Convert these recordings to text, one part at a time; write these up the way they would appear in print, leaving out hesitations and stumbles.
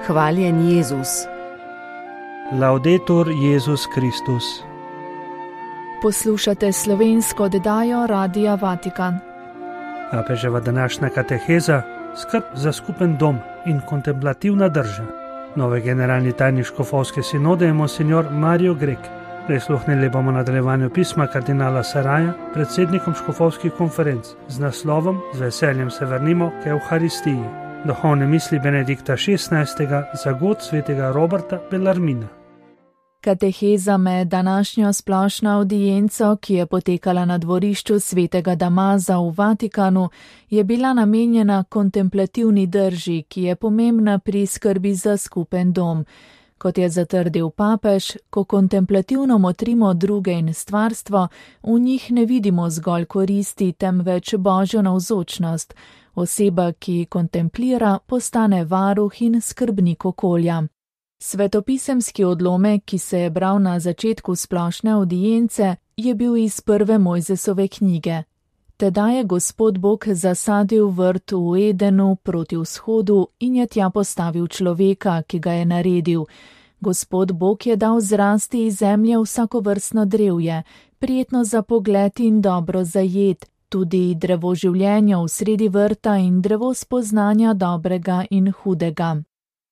Hvaljen Jezus. Laudetur Jezus Kristus. Poslušate slovensko oddajo Radia Vatikan. Papeževa današnja kateheza, skrb za skupen dom in kontemplativna drža. Nove generalni tajnik škofovske sinode je monsignor Mario Grek. Prisluhnili bomo nadaljevanju pisma kardinala Saraja, predsednikom škofovskih konferenc, z naslovom Z veseljem se vrnimo k Evharistiji. Duhovne misli Benedikta XVI. Za god svetega Roberta Bellarmina. Kateheza med današnjo splošno avdienco, ki je potekala na dvorišču svetega Damaza v Vatikanu, je bila namenjena kontemplativni drži, ki je pomembna pri skrbi za skupen dom. Kot je zatrdil papež, ko kontemplativno motrimo druge in stvarstvo, v njih ne vidimo zgolj koristi, temveč Božjo navzočnost. Oseba, ki kontemplira, postane varuh in skrbnik okolja. Svetopisemski odlomek, ki se je bral na začetku splošne avdience, je bil iz prve Mojzesove knjige. Tedaj je Gospod Bog zasadil vrt v Edenu proti vzhodu in je tja postavil človeka, ki ga je naredil. Gospod Bog je dal zrasti iz zemlje vsakovrstno drevje, prijetno za pogled in dobro za jed, tudi drevo življenja v sredi vrta in drevo spoznanja dobrega in hudega.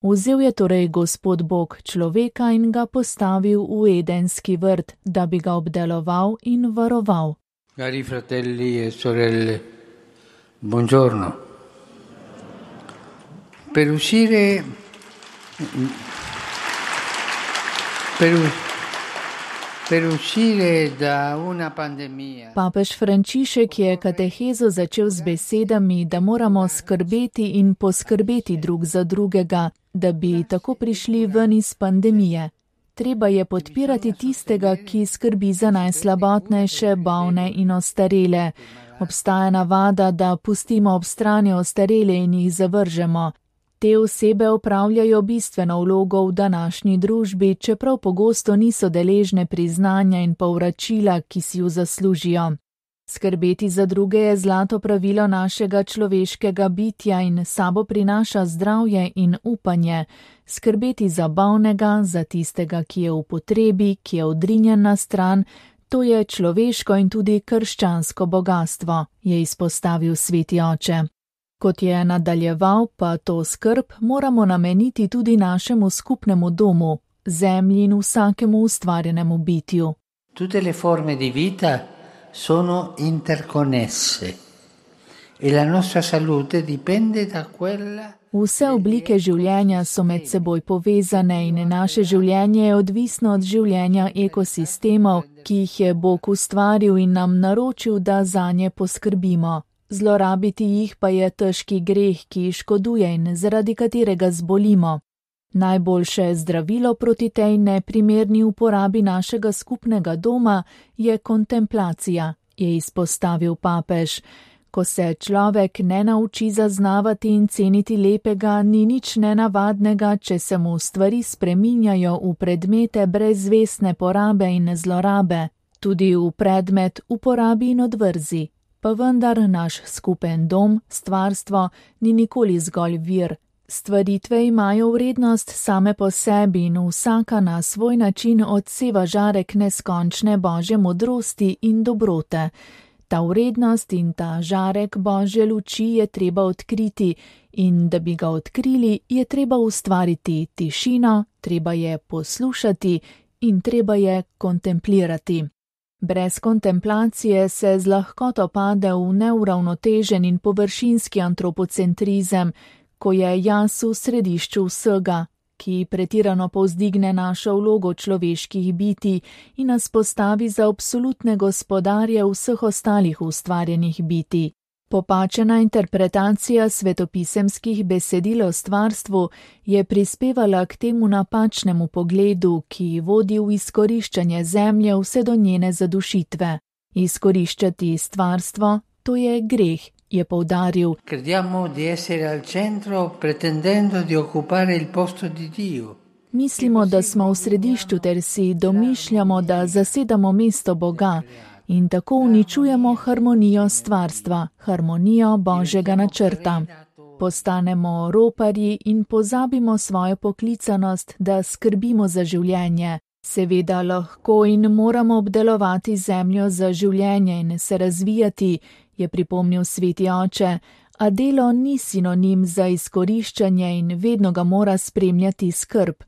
Vzel je torej Gospod Bog človeka in ga postavil v Edenski vrt, da bi ga obdeloval in varoval. Cari fratelli e sorelle, buongiorno. Per uscire da una pandemia. Papež Frančišek je katehezo začel z besedami, da moramo skrbeti in poskrbeti drug za drugega, da bi tako prišli ven iz pandemije. Treba je podpirati tistega, ki skrbi za najslabotnejše, bolne in ostarele. Obstaja navada, da pustimo ob strani ostarele in jih zavržemo. Te osebe opravljajo bistveno vlogo v današnji družbi, čeprav pogosto niso deležne priznanja in povračila, ki si ju zaslužijo. Skrbeti za druge je zlato pravilo našega človeškega bitja in sabo prinaša zdravje in upanje. Skrbeti za bolnega, za tistega, ki je v potrebi, ki je odrinjen na stran, to je človeško in tudi krščansko bogastvo, je izpostavil sveti oče. Kot je nadaljeval, pa to skrb moramo nameniti tudi našemu skupnemu domu, zemlji in vsakemu ustvarjenemu bitju. Tutte le forme di vita sono interconnesse e la nostra salute dipende da quella. Vse oblike življenja so med seboj povezane in naše življenje je odvisno od življenja ekosistemov, ki jih je Bog ustvaril in nam naročil, da zanje poskrbimo. Zlorabiti jih pa je težki greh, ki škoduje in zaradi katerega zbolimo. Najboljše zdravilo proti tej neprimerni uporabi našega skupnega doma je kontemplacija, je izpostavil papež. Ko se človek ne nauči zaznavati in ceniti lepega, ni nič nenavadnega, če se mu stvari spreminjajo v predmete brezvestne porabe in zlorabe, tudi v predmet uporabi in odvrzi. Pa vendar naš skupen dom, stvarstvo, ni nikoli zgolj vir. Stvaritve imajo vrednost same po sebi in vsaka na svoj način odseva žarek neskončne Božje modrosti in dobrote. Ta vrednost in ta žarek Božje luči je treba odkriti in da bi ga odkrili, je treba ustvariti tišino, treba je poslušati in treba je kontemplirati. Brez kontemplacije se z lahkoto pade v neuravnotežen in površinski antropocentrizem, ko je jaz v središču vsega, ki pretirano povzdigne našo vlogo človeških bitij in nas postavi za absolutne gospodarje vseh ostalih ustvarjenih bitij. Popačena interpretacija svetopisemskih besedil o stvarstvu je prispevala k temu napačnemu pogledu, ki vodi v izkoriščanje zemlje vse do njene zadušitve. Izkoriščati stvarstvo, to je greh, je poudaril. Crediamo di essere al centro pretendendo di occupare il posto di Dio. Mislimo, da smo v središču ter si domišljamo, da zasedamo mesto Boga. In tako uničujemo harmonijo stvarstva, harmonijo Božjega načrta. postanemo roparji in pozabimo svojo poklicanost, da skrbimo za življenje. Seveda lahko in moramo obdelovati zemljo za življenje in se razvijati, je pripomnil sveti oče, a delo ni sinonim za izkoriščanje in vedno ga mora spremljati skrb.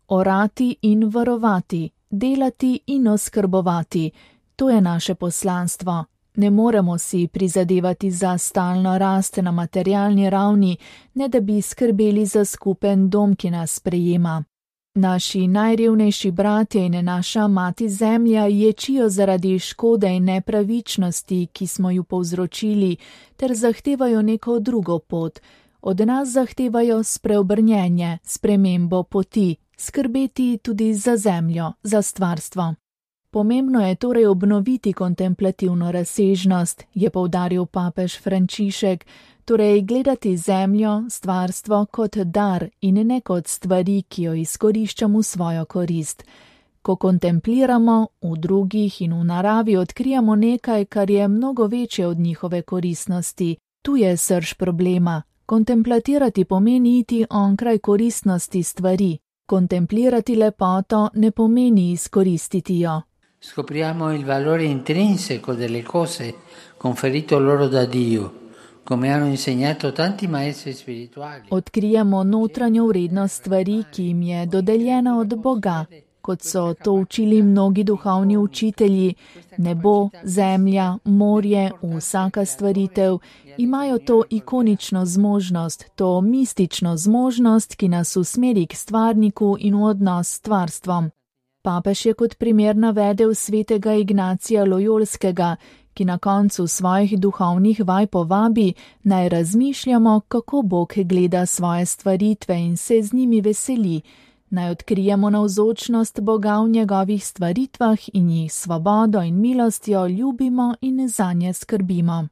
Orati in varovati, delati in oskrbovati, to je naše poslanstvo. Ne moremo si prizadevati za stalno rast na materialni ravni, ne da bi skrbeli za skupen dom, ki nas sprejema. Naši najrevnejši bratje in naša mati zemlja ječijo zaradi škode in nepravičnosti, ki smo ju povzročili, ter zahtevajo neko drugo pot. Od nas zahtevajo spreobrnjenje, spremembo poti, skrbeti tudi za zemljo, za stvarstvo. Pomembno je torej obnoviti kontemplativno razsežnost, je poudaril papež Frančišek, torej gledati zemljo, stvarstvo kot dar in ne kot stvari, ki jo izkoriščamo v svojo korist. Ko kontempliramo, v drugih in v naravi odkrijamo nekaj, kar je mnogo večje od njihove koristnosti. Tu je srž problema. Kontemplatirati pomeni iti onkraj koristnosti stvari. Kontemplirati lepoto ne pomeni izkoristiti jo. Scopriamo il valore intrinseco delle cose conferito loro da Dio, come hanno insegnato tanti maestri spirituali. Odkrijemo notranjo vrednost stvari, ki jim je dodeljena od Boga, kot so to učili mnogi duhovni učitelji. Nebo, zemlja, morje, vsaka stvaritev imajo to ikonično zmožnost, to mistično zmožnost, ki nas usmeri k stvarniku in v odnos s stvarstvom. Papež je kot primer navedel svetega Ignacija Lojolskega, ki na koncu svojih duhovnih vaj povabi, naj razmišljamo, kako Bog gleda svoje stvaritve in se z njimi veseli, naj odkrijemo navzočnost Boga v njegovih stvaritvah in jih svobodo in milostjo ljubimo in zanje skrbimo.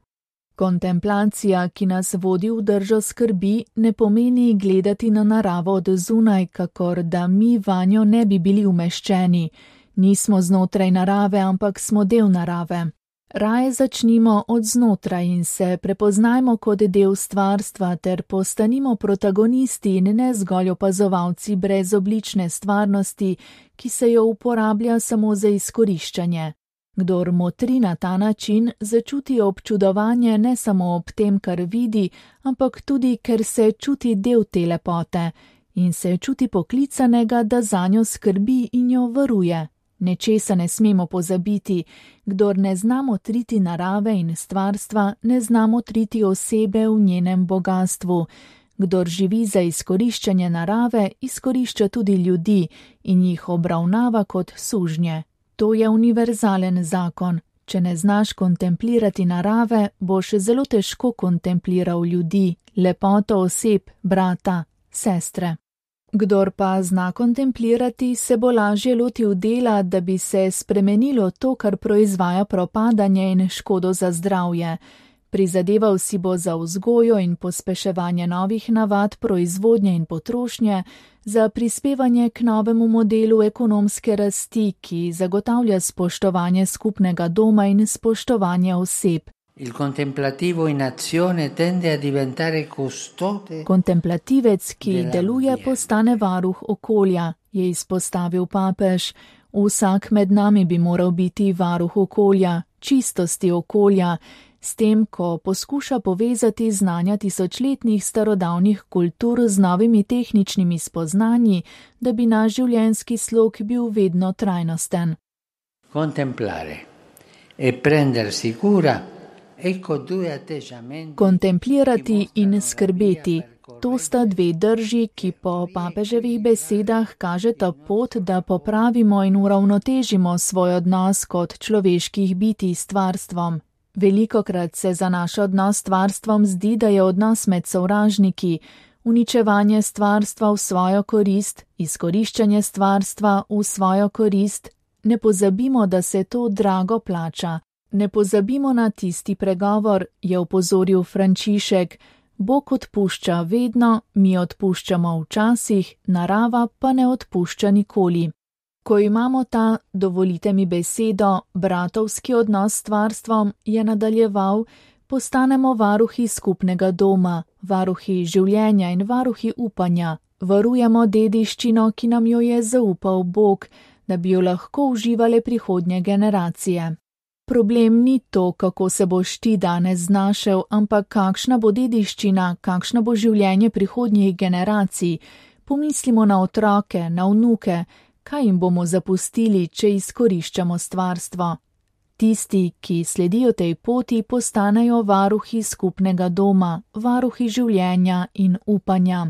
Kontemplacija, ki nas vodi v držo skrbi, ne pomeni gledati na naravo od zunaj, kakor da mi vanjo ne bi bili umeščeni. Nismo znotraj narave, ampak smo del narave. Raje začnimo od znotraj in se prepoznajmo kot del stvarstva ter postanimo protagonisti in ne zgolj opazovalci brezoblične stvarnosti, ki se jo uporablja samo za izkoriščanje. Kdor motri na ta način, začuti občudovanje ne samo ob tem, kar vidi, ampak tudi, ker se čuti del te lepote in se čuti poklicanega, da zanjo skrbi in jo varuje. Nečesa ne smemo pozabiti, kdor ne zna motriti narave in stvarstva, ne zna motriti osebe v njenem bogastvu. Kdor živi za izkoriščanje narave, izkorišča tudi ljudi in jih obravnava kot sužnje. To je univerzalen zakon. Če ne znaš kontemplirati narave, boš zelo težko kontempliral ljudi, lepoto oseb, brata, sestre. Kdor pa zna kontemplirati, se bo lažje lotil dela, da bi se spremenilo to, kar proizvaja propadanje in škodo za zdravje. Prizadeval si bo za vzgojo in pospeševanje novih navad proizvodnje in potrošnje, za prispevanje k novemu modelu ekonomske rasti, ki zagotavlja spoštovanje skupnega doma in spoštovanje oseb. Il contemplativo in azione tende a diventare custode. Kontemplativec, ki deluje, postane varuh okolja, je izpostavil papež. Vsak med nami bi moral biti varuh okolja, čistosti okolja, s tem, ko poskuša povezati znanja tisočletnih starodavnih kultur z novimi tehničnimi spoznanji, da bi naš življenjski slog bil vedno trajnosten. Contemplare e prendersi cura. Kontemplirati in skrbeti. To sta dve drži, ki po papeževih besedah kažeta pot, da popravimo in uravnotežimo svoj odnos kot človeških bitij s stvarstvom. Velikokrat se za naš odnos s stvarstvom zdi, da je odnos med sovražniki, uničevanje stvarstva v svojo korist, izkoriščanje stvarstva v svojo korist. Ne pozabimo, da se to drago plača. Ne pozabimo na tisti pregovor, je opozoril Frančišek. Bog odpušča vedno, mi odpuščamo včasih, narava pa ne odpušča nikoli. Ko imamo ta, dovolite mi besedo, bratovski odnos s stvarstvom, je nadaljeval, postanemo varuhi skupnega doma, varuhi življenja in varuhi upanja. Varujemo dediščino, ki nam jo je zaupal Bog, da bi jo lahko uživale prihodnje generacije. Problem ni to, kako se boš ti danes znašel, ampak kakšna bo dediščina, kakšno bo življenje prihodnjih generacij. Pomislimo na otroke, na vnuke, kaj jim bomo zapustili, če izkoriščamo stvarstvo. Tisti, ki sledijo tej poti, postanejo varuhi skupnega doma, varuhi življenja in upanja.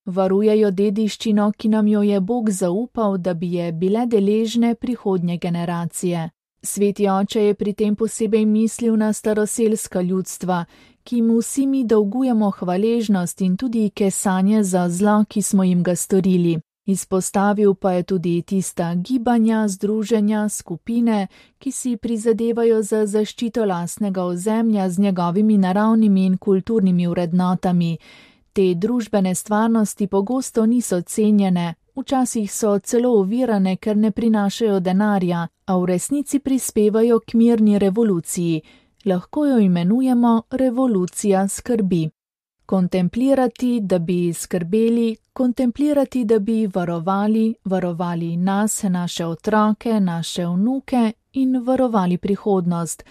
Varujejo dediščino, ki nam jo je Bog zaupal, da bi je bile deležne prihodnje generacije. Sveti oče je pri tem posebej mislil na staroselska ljudstva, ki jim vsi mi dolgujemo hvaležnost in tudi kesanje za zlo, ki smo jim ga storili. Izpostavil pa je tudi tista gibanja, združenja, skupine, ki si prizadevajo za zaščito lastnega ozemlja z njegovimi naravnimi in kulturnimi vrednotami. Te družbene stvarnosti pogosto niso cenjene, včasih so celo ovirane, ker ne prinašajo denarja, a v resnici prispevajo k mirni revoluciji. Lahko jo imenujemo revolucija skrbi. Kontemplirati, da bi skrbeli, kontemplirati, da bi varovali nas, naše otroke, naše vnuke in varovali prihodnost,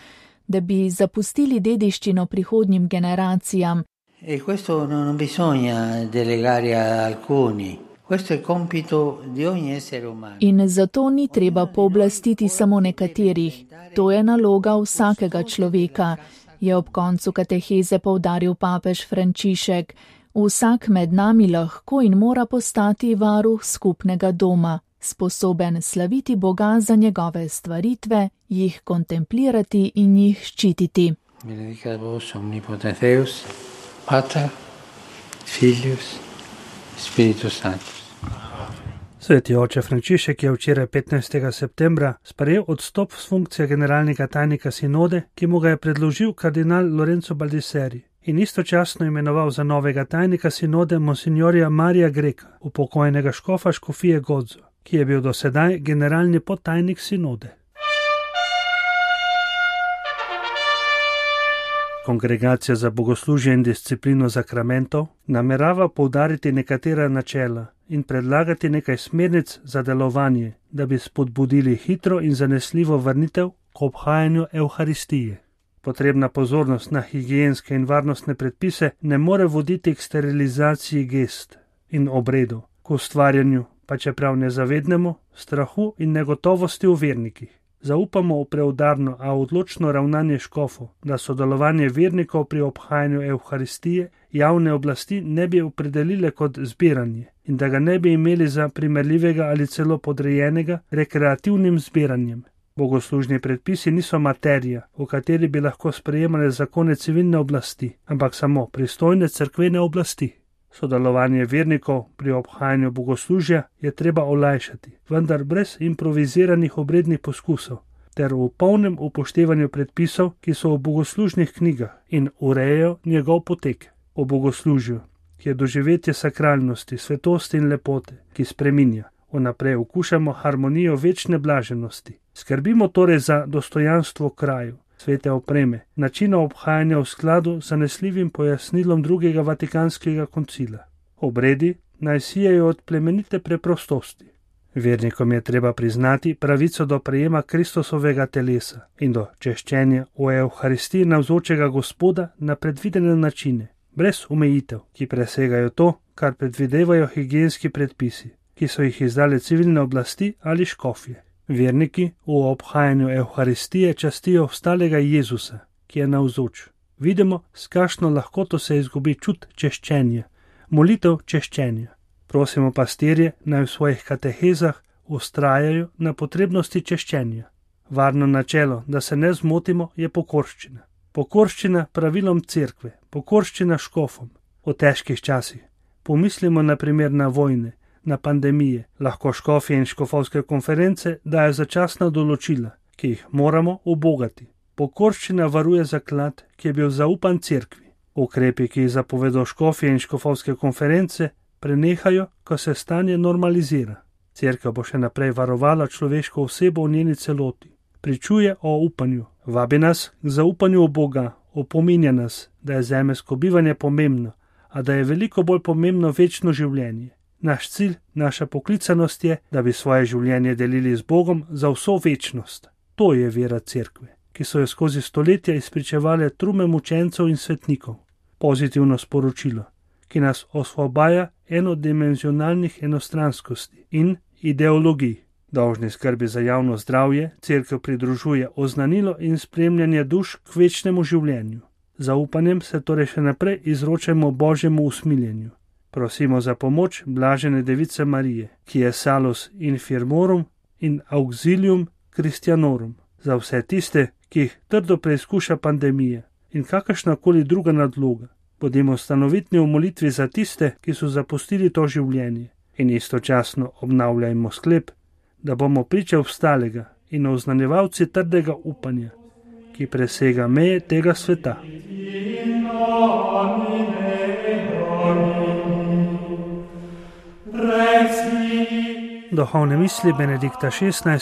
da bi zapustili dediščino prihodnjim generacijam. E questo non bisogna delegare a alcuni. Questo è compito di ogni essere umano. In zato ni treba pooblastiti samo nekaterih. To je naloga vsakega človeka, je ob koncu kateheze poudaril papež Frančišek. Vsak med nami lahko in mora postati varuh skupnega doma, sposoben slaviti Boga za njegove stvaritve, jih kontemplirati in jih ščititi. Benedicat vos omnipotens Deus, Pater, Filius, Spiritus Sanctus. Sveti oče Frančišek je včeraj 15. septembra sprejel odstop s funkcije generalnega tajnika sinode, ki mu ga je predložil kardinal Lorenzo Baldisseri, in istočasno imenoval za novega tajnika sinode monsignorja Marija Greka, upokojnega škofa škofije Gozo, ki je bil do sedaj generalni podtajnik sinode. Kongregacija za bogoslužje in disciplino zakramentov namerava poudariti nekatera načela in predlagati nekaj smernic za delovanje, da bi spodbudili hitro in zanesljivo vrnitev k obhajanju Evharistije. Potrebna pozornost na higienske in varnostne predpise ne more voditi k sterilizaciji gest in obredov, k ustvarjanju, pa čeprav nezavednemu, strahu in negotovosti v vernikih. Zaupamo v preudarno, a odločno ravnanje škofov, da sodelovanje vernikov pri obhajanju Evharistije javne oblasti ne bi opredelile kot zbiranje in da ga ne bi imeli za primerljivega ali celo podrejenega rekreativnim zbiranjem. Bogoslužni predpisi niso materija, v kateri bi lahko sprejemale zakone civilne oblasti, ampak samo pristojne cerkvene oblasti. Sodelovanje vernikov pri obhajanju bogoslužja je treba olajšati, vendar brez improviziranih obrednih poskusov, ter v polnem upoštevanju predpisov, ki so v bogoslužnih knjigah in urejajo njegov potek. O bogoslužju, ki je doživetje sakralnosti, svetosti in lepote, ki spreminja, vnaprej okušamo harmonijo večne blaženosti. Skrbimo torej za dostojanstvo kraju, svete opreme, načina obhajanja v skladu z zanesljivim pojasnilom drugega Vatikanskega koncila. Obredi naj sijajo od plemenite preprostosti. Vernikom je treba priznati pravico do prejema Kristusovega telesa in do češčenja v Evharistiji navzočega Gospoda na predvidene načine, brez omejitev, ki presegajo to, kar predvidevajo higienski predpisi, ki so jih izdale civilne oblasti ali škofje. Verniki v obhajanju Evharistije častijo vstalega Jezusa, ki je navzoč. Vidimo, s kakšno lahkoto se izgubi čut češčenja, molitev češčenja. Prosimo pastirje, naj v svojih katehezah vztrajajo na potrebnosti češčenja. Varno načelo, da se ne zmotimo, je pokorščina. Pokorščina pravilom cerkve, pokorščina škofom. V težkih časih. Pomislimo na primer na vojne, na pandemije. Lahko škofje in škofovske konference dajo začasna določila, ki jih moramo ubogati. Pokorščina varuje zaklad, ki je bil zaupan cerkvi. Ukrepi, ki jih zapovedo škofje in škofovske konference, prenehajo, ko se stanje normalizira. Cerkev bo še naprej varovala človeško osebo v njeni celoti. Pričuje o upanju. Vabi nas k zaupanju v Boga, opominja nas, da je zemeljsko bivanje pomembno, a da je veliko bolj pomembno večno življenje. Naš cilj, naša poklicanost je, da bi svoje življenje delili z Bogom za vso večnost. To je vera cerkve, ki so jo skozi stoletja izpričevale trume mučencev in svetnikov. Pozitivno sporočilo, ki nas osvobaja enodimenzionalnih enostranskosti in ideologij. Dolžni skrbi za javno zdravje cerkev pridružuje oznanilo in spremljanje duš k večnemu življenju. Zaupanjem se torej še naprej izročamo Božjemu usmiljenju. Prosimo za pomoč blažene device Marije, ki je salus infirmorum in auxilium Christianorum, za vse tiste, ki jih trdo preizkuša pandemija in kakršnakoli druga nadloga. Bodimo stanovitni v molitvi za tiste, ki so zapustili to življenje, in istočasno obnavljajmo sklep, da bomo priče obstalega in oznanjevalci trdega upanja, ki presega meje tega sveta. Duhovne misli Benedikta XVI.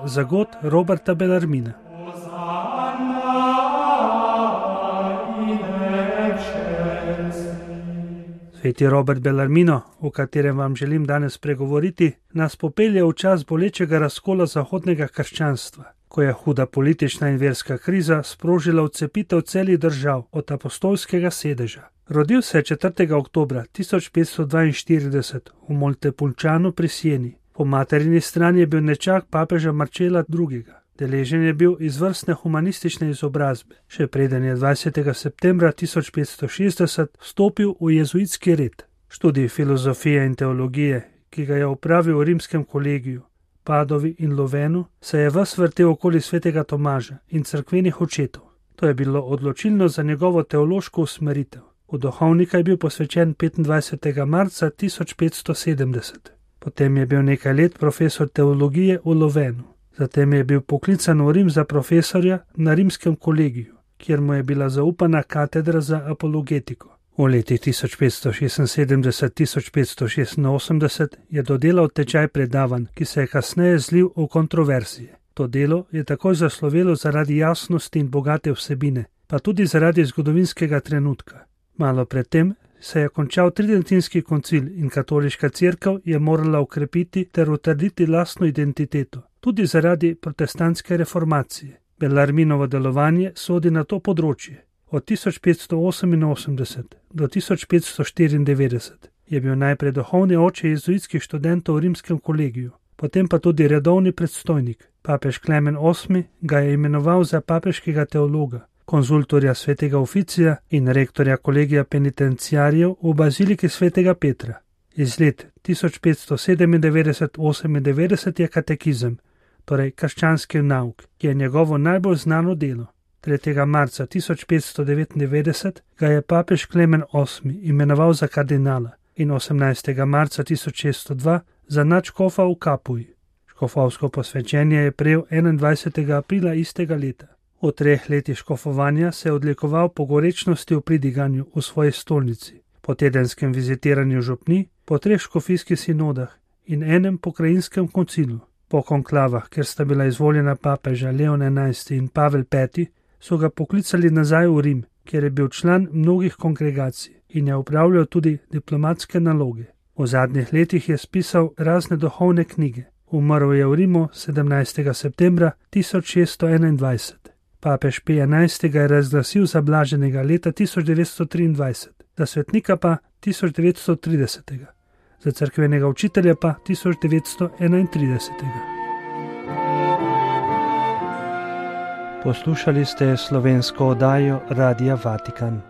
Za god Roberta Bellarmina. Sveti Robert Bellarmino, o katerem vam želim danes pregovoriti, nas popelje v čas bolečega razkola zahodnega krščanstva, ko je huda politična in verska kriza sprožila odcepitev celih držav od apostolskega sedeža. Rodil se je 4. oktobra 1542 v Montepulcianu pri Sieni. Po materini strani je bil nečak papeža Marcela II. Deležen je bil izvrstne humanistične izobrazbe, še preden je 20. septembra 1560 vstopil v jezuitski red. Študij filozofije in teologije, ki ga je opravil v rimskem kolegiju, Padovi in Lovenu, se je ves vrtel okoli svetega Tomaža in cerkvenih očetov. To je bilo odločilno za njegovo teološko usmeritev. V duhovnika je bil posvečen 25. marca 1570. Potem je bil nekaj let profesor teologije v Lovenu. Zatem je bil poklican v Rim za profesorja na rimskem kolegiju, kjer mu je bila zaupana katedra za apologetiko. V letih 1576-1586 je dodelal tečaj predavanj, ki se je kasneje zlil v kontroverzije. To delo je takoj zaslovelo zaradi jasnosti in bogate vsebine, pa tudi zaradi zgodovinskega trenutka. Malo predtem se je končal Tridentinski koncil in katoliška cerkev je morala ukrepiti ter utrditi lastno identiteto, tudi zaradi protestantske reformacije. Bellarminovo delovanje sodi na to področje. Od 1588 do 1594 je bil najprej duhovni oče jezuitskih študentov v rimskem kolegiju, potem pa tudi redovni predstojnik. Papež Klemen VIII. Ga je imenoval za papeškega teologa, konzultorja svetega Oficija in rektorja kolegija penitenciarjev v baziliki svetega Petra. Iz let 1597-98 je katekizem, torej krščanski nauk, ki je njegovo najbolj znano delo. 3. marca 1599 ga je papež Klemen VIII. Imenoval za kardinala in 18. marca 1602 za nadškofa v Kapuji. Škofovsko posvečenje je prejel 21. aprila istega leta. V 3 letih škofovanja se je odlikoval po gorečnosti v pridiganju v svoji stolnici, po tedenskem vizitiranju župni, po 3 škofijskih sinodah in enem pokrajinskem koncilu. Po konklavah, kjer sta bila izvoljena papeža Leon XI. In Pavel V., so ga poklicali nazaj v Rim, kjer je bil član mnogih kongregacij in je upravljal tudi diplomatske naloge. V zadnjih letih je spisal razne duhovne knjige. Umrl je v Rimu 17. septembra 1621. Papež Pij XI. Ga je razglasil za blaženega leta 1923, za svetnika pa 1930. Za cerkvenega učitelja pa 1931. Poslušali ste slovensko oddajo Radia Vatikan.